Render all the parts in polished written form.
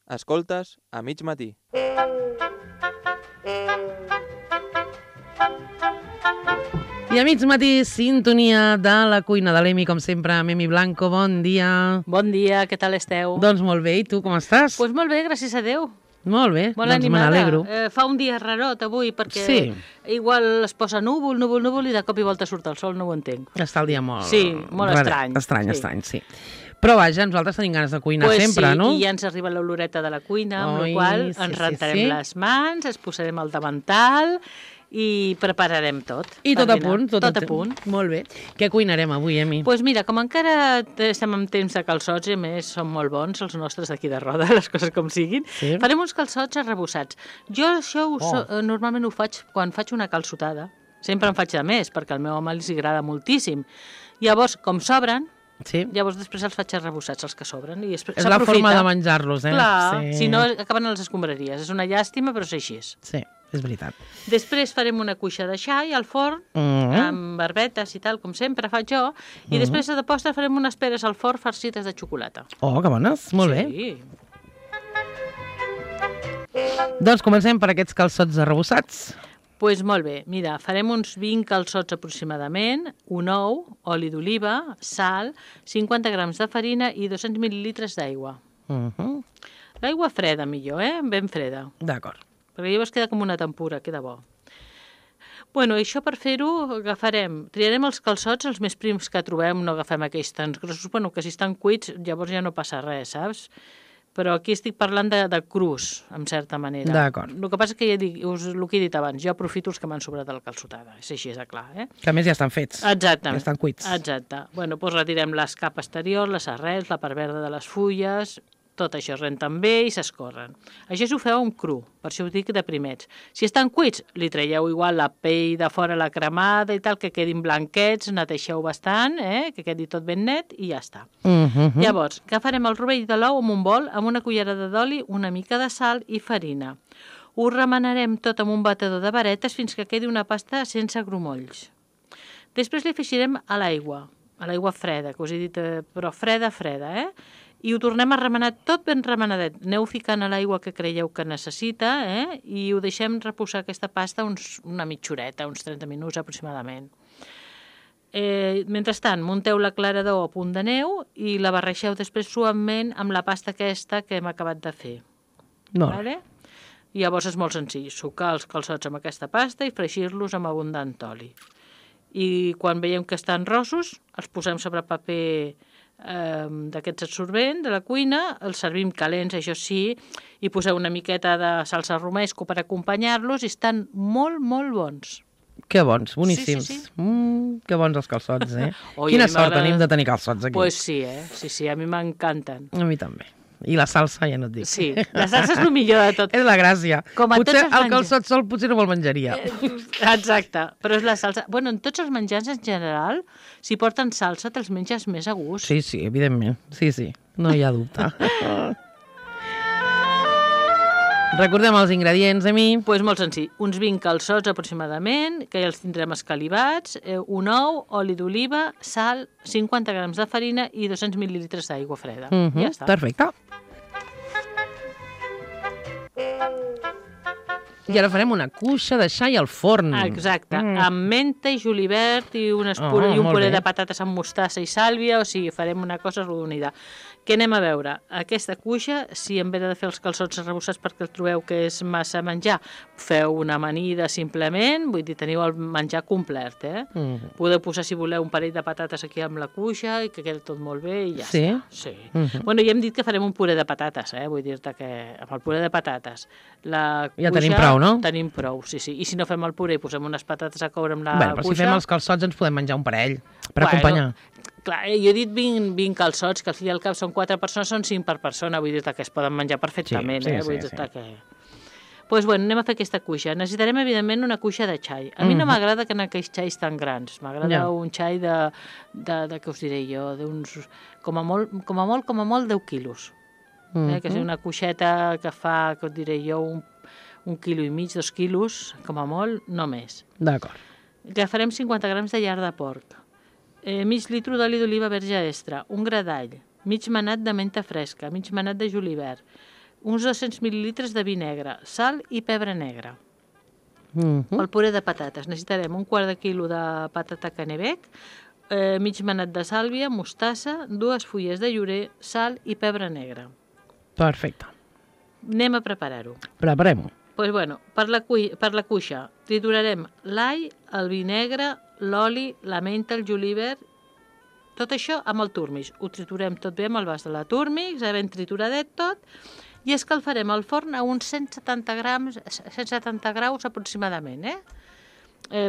Escoltes a mig matí. I a mig matí, sintonia de la cuina de l'Emi, com sempre, amb Emi Blanco. Bon dia. Bon dia, què tal esteu? Doncs molt bé, i tu com estàs? Doncs molt bé, gràcies a Déu. Molt bé, Molt doncs me animada. n'alegro. Fa un dia rarot avui, perquè Sí. igual es posa núvol, i de cop i volta surt el sol, no ho entenc. Està el dia molt... Sí, molt raret. estrany. Estrany, sí. Però vaja, nosaltres tenim ganes de cuinar Pues sempre, sí, no? i ja ens arriba l'oloreta de la cuina, amb Oi, la qual sí, ens sí, rentarem sí. les mans, ens posarem el davantal i prepararem tot. I per tot a dinar. punt. Tot a punt. Molt bé. Què cuinarem avui, Emi? Doncs pues mira, com encara estem en temps de calçots, i a més són molt bons els nostres d'aquí de Roda, les coses com siguin, Sí. farem uns calçots arrebossats. Jo això normalment ho faig quan faig una calçotada. Sempre en faig de més, perquè al meu home li agrada moltíssim. Llavors, com sobren, Sí. llavors després els faig arrebossats, els que sobren. I És la forma de menjar-los, eh? Clar, sí. si no acaben a les escombraries. És una llàstima, però és així. Sí, és veritat. Després farem una cuixa de xai al forn, amb barbetes i tal, com sempre faig jo, i després de postre farem unes peres al forn farcides de xocolata. Oh, que bones. Molt bé. Sí. Doncs comencem per aquests calçots arrebossats. Doncs molt bé, mira, farem uns 20 calçots aproximadament, un ou, oli d'oliva, sal, 50 grams de farina i 200 mil·lilitres d'aigua. L'aigua freda millor, ben freda, D'acord. perquè llavors queda com una tempura, queda bo. Bueno, això per fer-ho triarem els calçots els més prims que trobem, no agafem aquells tan grossos, bueno, que si estan cuits llavors ja no passa res, saps? Però aquí estic parlant de crus, en certa manera. D'acord. El que passa és que ja dic, el que he dit abans, jo aprofito els que m'han sobrat de la calçotada, és així, és clar, Que a més ja estan fets. Exactament. Ja estan cuits. Exacte. Bueno, doncs retirem l'escap exterior, les arrels, la part verda de les fulles, tot això es renten bé i s'escorren. Això s'ho feu amb cru, per això ho dic de primets. Si estan cuits, li traieu igual la pell de fora, la cremada i tal, que quedin blanquets, neteixeu bastant, que quedi tot ben net i ja està. Llavors, agafarem el rovell de l'ou amb un bol, amb una cullerada d'oli, una mica de sal i farina. Ho remenarem tot amb un batedor de varetes fins que quedi una pasta sense grumolls. Després li afegirem a l'aigua freda, que us he dit, però freda, i ho tornem a remenar tot ben remenadet. Aneu ficant a l'aigua que creieu que necessita, i ho deixem reposar aquesta pasta una mitja horeta, uns 30 minuts aproximadament. Mentrestant, munteu la clara d'ou a punt de neu i la barreixeu després suaument amb la pasta aquesta que hem acabat de fer. Vale? I llavors és molt senzill, sucar els calçots amb aquesta pasta i fregir-los amb abundant oli. I quan veiem que estan rossos, els posem sobre paper d'aquests absorbents de la cuina, els servim calents, això sí, i poseu una miqueta de salsa romesco per acompanyar-los i estan molt, molt bons. Que bons, boníssims. Sí. Que bons els calçots, Oi, Quina a mi sort m'agrada. tenim de tenir calçots aquí. Pues sí, sí, a mi m'encanten. A mi també. I la salsa, ja no et dic. Sí, la salsa és el millor de tot. És la gràcia. Com a Potser tots els el menjars. calçot sol potser no me'l menjaria. Exacte, però és la salsa. Bueno, en tots els menjars en general, si porten salsa, te'ls menges més a gust. Sí, evidentment. Sí, no hi ha dubte. Recordem els ingredients, Emi. Doncs molt senzill, uns 20 calçots aproximadament, que ja els tindrem escalivats, un ou, oli d'oliva, sal, 50 grams de farina i 200 mil·lilitres d'aigua freda. Ja està. Perfecte. I ara farem una cuixa de xai al forn. Exacte, amb menta i julivert i un molt puré bé. de patates amb mostassa i sàlvia, o sigui, farem una cosa rodonida. Què anem a veure? Aquesta cuixa, si en vez de fer els calçots arrebossats perquè el trobeu que és massa menjar, feu una amanida simplement, vull dir, teniu el menjar complet, Podeu posar, si voleu, un parell de patates aquí amb la cuixa i que quedi tot molt bé i ja està. Sí. Bueno, ja hem dit que farem un puré de patates, vull dir-te que amb el puré de patates la cuixa... Ja tenim prou, no? Tenim prou, sí. I si no fem el puré i posem unes patates a coure amb la Però cuixa... si fem els calçots ens podem menjar un parell per acompanyar. Clar, jo he dit 20 calçots, que al fi i al cap són 4 persones, són 5 per persona, vull dir que es poden menjar perfectament, vull dir que... Doncs bueno, anem a fer aquesta cuixa. Necessitarem, evidentment, una cuixa de xai. A mi no m'agrada que en aquells xais tan grans. M'agrada un xai de què us diré jo, d'uns... Com a molt 10 quilos. Que és una cuixeta que fa, que us diré jo, un quilo i mig, 2 quilos, com a molt, no més. D'acord. Agafarem 50 grams de lard de porc, mig litre d'oli d'oliva verge extra, un gra d'all, mig manat de menta fresca, mig manat de julivert, uns 200 mil·lilitres de vi negre, sal i pebre negre. Pel puré de patates necessitarem un quart de quilo de patata canebec, mig manat de sàlvia, mostassa, 2 fulles de llorer, sal i pebre negre. Perfecte. Anem a preparar-ho. Preparem-ho. Pues bueno, per la cuixa triturarem l'all, el vi negre, l'oli, la menta, el julivert, tot això amb el túrmix. Ho triturem tot bé amb el vas de la túrmix, ben trituradet tot, i escalfarem al forn a uns 170 graus aproximadament.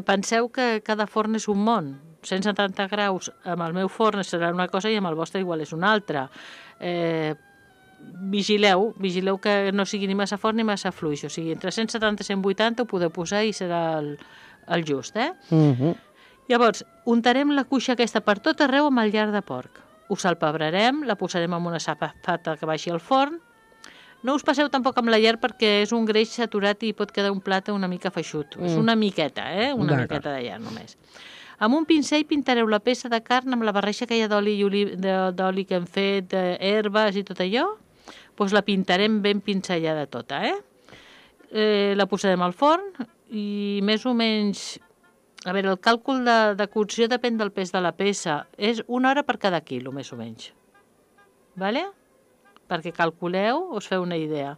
Penseu que cada forn és un món. 170 graus amb el meu forn serà una cosa i amb el vostre igual és una altra. Vigileu que no sigui ni massa fort ni massa fluix. O sigui, entre 170 i 180 ho podeu posar i serà el just. Llavors, untarem la cuixa aquesta per tot arreu amb el lard de porc. Ho salpebrarem, la posarem en una safata que baixi al forn. No us passeu tampoc amb la llar perquè és un greix saturat i pot quedar un plat una mica feixut. És una miqueta, una miqueta de llar només. Amb un pincell pintareu la peça de carn amb la barreja que hi ha d'oli que hem fet, herbes i tot allò. Doncs la pintarem ben pinzellada tota. La posarem al forn i més o menys... A veure, el càlcul de cocció depèn del pes de la peça. És 1 hora per cada quilo, més o menys. Vale? Perquè calculeu, us feu una idea.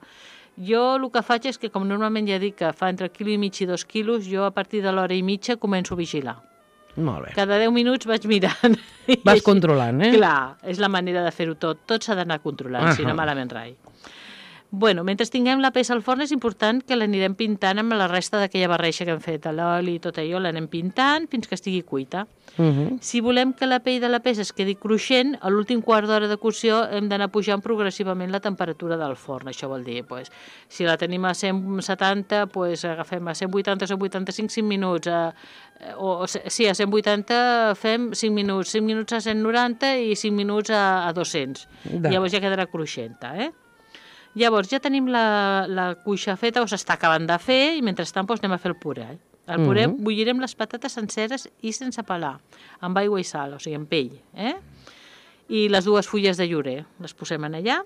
Jo el que faig és que, com normalment ja dic que fa entre quilo i mig i 2 quilos, jo a partir de l'hora i mitja començo a vigilar. Molt bé. Cada 10 minuts vaig mirant. Vas controlant, Clar, és la manera de fer-ho tot. Tot s'ha d'anar controlant, si no malament rai. Bueno, mentre tinguem la peça al forn és important que l'anirem pintant amb la resta d'aquella barreja que hem fet, l'oli i tot allò, l'anem pintant fins que estigui cuita. Si volem que la pell de la peça es quedi cruixent, a l'últim quart d'hora de cocció hem d'anar pujant progressivament la temperatura del forn. Això vol dir, si la tenim a 170, agafem a 180 o 185 5 minuts. A 180 fem 5 minuts, 5 minuts a 190 i 5 minuts a 200. Llavors ja quedarà cruixenta, Llavors ja tenim la cuixa feta o s'està acabant de fer i mentrestant anem a fer el puré. El puré bullirem les patates senceres i sense pelar, amb aigua i sal, o sigui, amb pell. I les 2 fulles de llorer les posem en allà.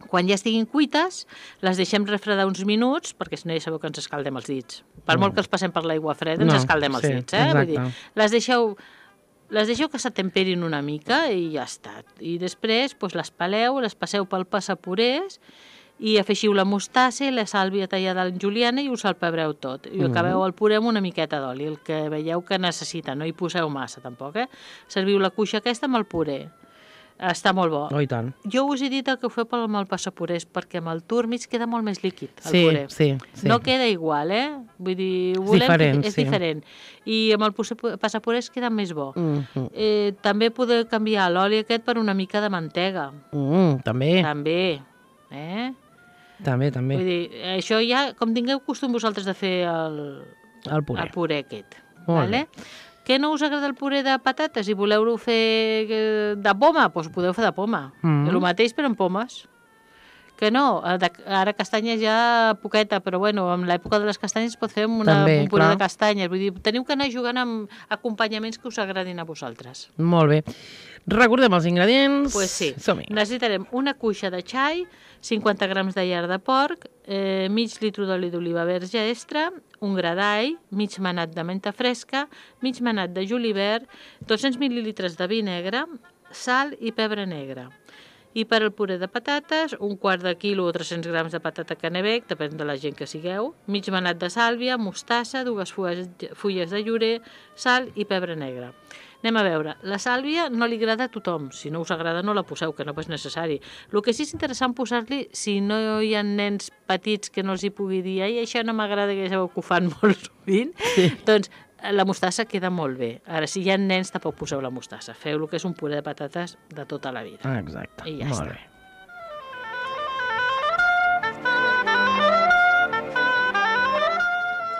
Quan ja estiguin cuites, les deixem refredar uns minuts, perquè si no ja sabeu que ens escaldem els dits. Per molt que els passem per l'aigua freda, ens escaldem els dits. Vull dir, les deixeu que s'atemperin una mica i ja està. I després les peleu, les passeu pel passapurés i afegiu la mostassa i la sàlvia tallada en juliana i us salpebreu tot. I acabeu el puré amb una miqueta d'oli, el que veieu que necessita, no hi poseu massa tampoc. Serviu la cuixa aquesta amb el puré. Està molt bo. Oh, i tant. Jo us he dit que ho feu amb el passapurés perquè amb el túrmix queda molt més líquid, el puré. Sí. No queda igual, Vull dir, és diferent. I amb el passapurés queda més bo. També podeu canviar l'oli aquest per una mica de mantega. També. També. Vull dir, això ja, com tingueu costum vosaltres de fer el puré aquest. Vale? Que no us agrada el puré de patates i voleu-lo fer de poma? Doncs podeu fer de poma. El mateix però amb pomes. Que no, ara castanyes ja poqueta, però bueno, en l'època de les castanyes es pot fer un puré de castanyes. Vull dir, teniu que anar jugant amb acompanyaments que us agradin a vosaltres. Molt bé. Recordem els ingredients. Doncs sí. Som-hi. Necessitarem una cuixa de xai, 50 grams de lard de porc, mig litre d'oli d'oliva verge extra, un gra d'all, mig manat de menta fresca, mig manat de julivert, 200 mil·lilitres de vi negre, sal i pebre negre. I per al puré de patates, un quart de quilo o 300 grams de patata canebec, depèn de la gent que sigueu, mig manat de sàlvia, mostassa, 2 fulles de llorer, sal i pebre negre. Anem a veure, la sàlvia no li agrada a tothom, si no us agrada no la poseu, que no és necessari. El que sí és interessant posar-li, si no hi ha nens petits que no els hi pugui dir, ai, això no m'agrada, que ja sabeu que ho fan molt sovint, doncs la mostassa queda molt bé. Ara, si hi ha nens, tampoc poseu la mostassa. Feu el que és un puré de patates de tota la vida. Exacte, i ja molt està. bé.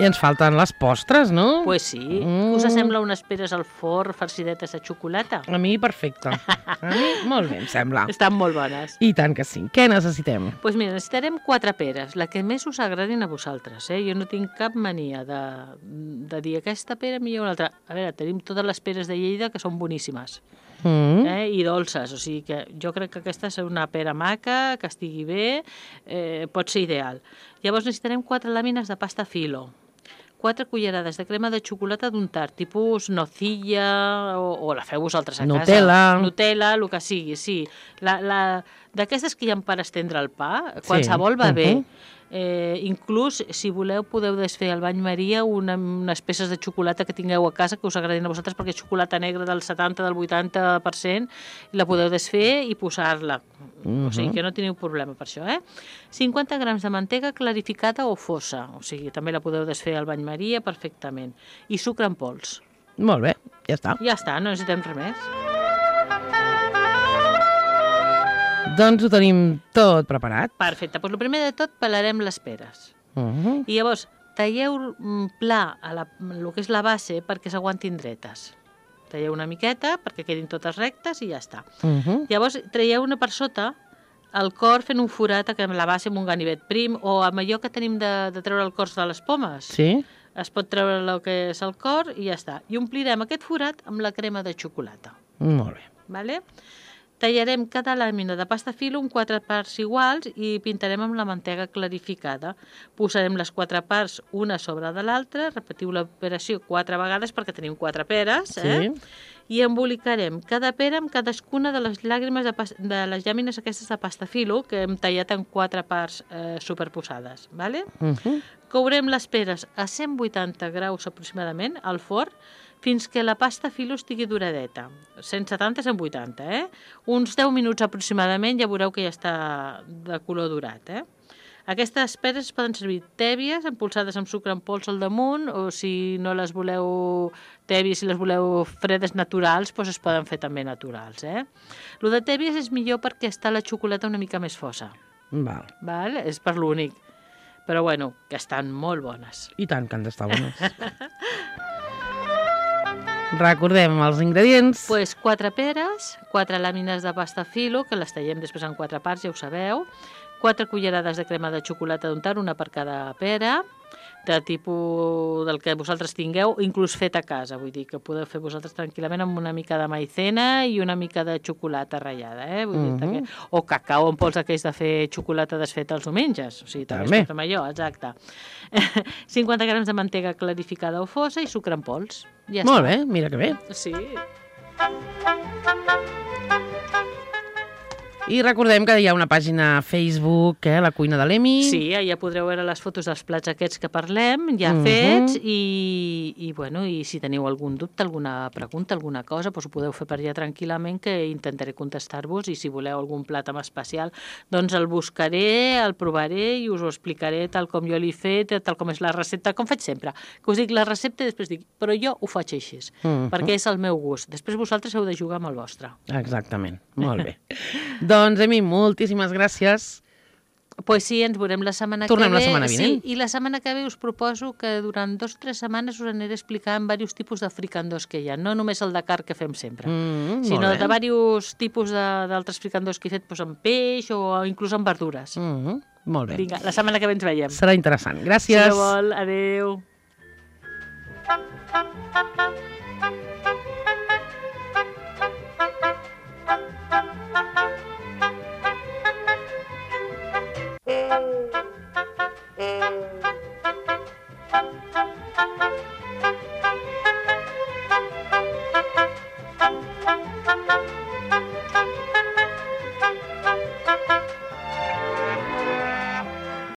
I ens falten les postres, no? Pues sí. Us sembla unes peres al forn farcidetes de xocolata? A mi, perfecte. A mi, molt bé, em sembla. Estan molt bones. I tant que sí. Què necessitem? Doncs mira, necessitarem 4 peres, la que més us agradin a vosaltres. Jo no tinc cap mania de dir aquesta pera millor una altra. A veure, tenim totes les peres de Lleida que són boníssimes. i dolces. O sigui que jo crec que aquesta és una pera maca, que estigui bé, pot ser ideal. Llavors necessitarem 4 làmines de pasta filo, 4 cullerades de crema de xocolata d'untar, tipus nocilla, o la feu vosaltres a casa. Nutella, el que sigui, sí. D'aquestes que hi ha per estendre el pa, qualsevol va bé. Inclús, si voleu, podeu desfer al bany Maria unes peces de xocolata que tingueu a casa que us agradin a vosaltres, perquè és xocolata negra del 70, del 80%, la podeu desfer i posar-la. O sigui que no teniu problema per això, 50 grams de mantega clarificada o fosa, o sigui, també la podeu desfer al bany Maria perfectament. I sucre en pols. Molt bé, ja està. Ja està, no necessitem res més. Doncs ho tenim tot preparat. Perfecte, doncs el primer de tot pelarem les peres. I llavors talleu pla el que és la base perquè s'aguantin dretes. Talleu una miqueta perquè quedin totes rectes i ja està. Llavors traieu-ne per sota el cor fent un forat amb la base amb un ganivet prim, o amb allò que tenim de treure el cor de les pomes. Sí. Es pot treure el que és el cor i ja està. I omplirem aquest forat amb la crema de xocolata. Molt bé. Vale? Tallarem cada làmina de pasta filo en 4 parts iguals i pintarem amb la mantega clarificada. Posarem les 4 parts una sobre de l'altra, repetiu l'operació 4 vegades perquè tenim 4 peres, i embolicarem cada pera amb cadascuna de les de les llàmines aquestes de pasta filo que hem tallat en 4 parts superposades. Vale? Courem les peres a 180 graus aproximadament al forn fins que la pasta filo estigui duradeta. 170 a 180, Uns 10 minuts aproximadament ja veureu que ja està de color durat, Aquestes peres poden servir tèbies, empolsades amb sucre en pols al damunt, o si no les voleu tèbies, si les voleu fredes naturals, doncs es poden fer també naturals, Lo de tèbies és millor perquè està la xocolata una mica més fosa. Val? És per l'únic. Però bueno, que estan molt bones. I tant que han d'estar bones. Recordem els ingredients. Pues 4 peres, 4 làmines de pasta filo, que les tallem després en 4 parts, ja ho sabeu, 4 cullerades de crema de xocolata d'untar, una per cada pera, de tipus del que vosaltres tingueu, inclús fet a casa, vull dir que podeu fer vosaltres tranquil·lament amb una mica de maicena i una mica de xocolata ratllada, vull dir o cacau en pols aquells de fer xocolata desfeta els diumenges, o sigui, també es pot fer allò, exacte. 50 grams de mantega clarificada o fosa i sucre en pols. Ja Molt bé, mira que bé. Sí. I recordem que hi ha una pàgina a Facebook, La Cuina de l'Emi. Sí, allà podreu veure les fotos dels plats aquests que parlem, ja fets, i si teniu algun dubte, alguna pregunta, alguna cosa, doncs ho podeu fer per allà tranquil·lament, que intentaré contestar-vos, i si voleu algun plat en especial, doncs el buscaré, el provaré i us ho explicaré tal com jo l'he fet, tal com és la recepta, com faig sempre, que us dic la recepta i després dic, però jo ho faig així, perquè és el meu gust. Després vosaltres heu de jugar amb el vostre. Exactament, molt bé. Doncs, Emi, moltíssimes gràcies. Pues sí, ens veurem la setmana que ve. Tornem la setmana vinent. Sí, i la setmana que ve us proposo que durant 2 o 3 setmanes us aniré explicant diversos tipus de fricandós que hi ha, no només el de carn que fem sempre, sinó de diversos tipus d'altres fricandós que he fet amb peix o inclús amb verdures. Molt bé. Vinga, la setmana que ve ens veiem. Serà interessant. Gràcies. Si no vol, adeu.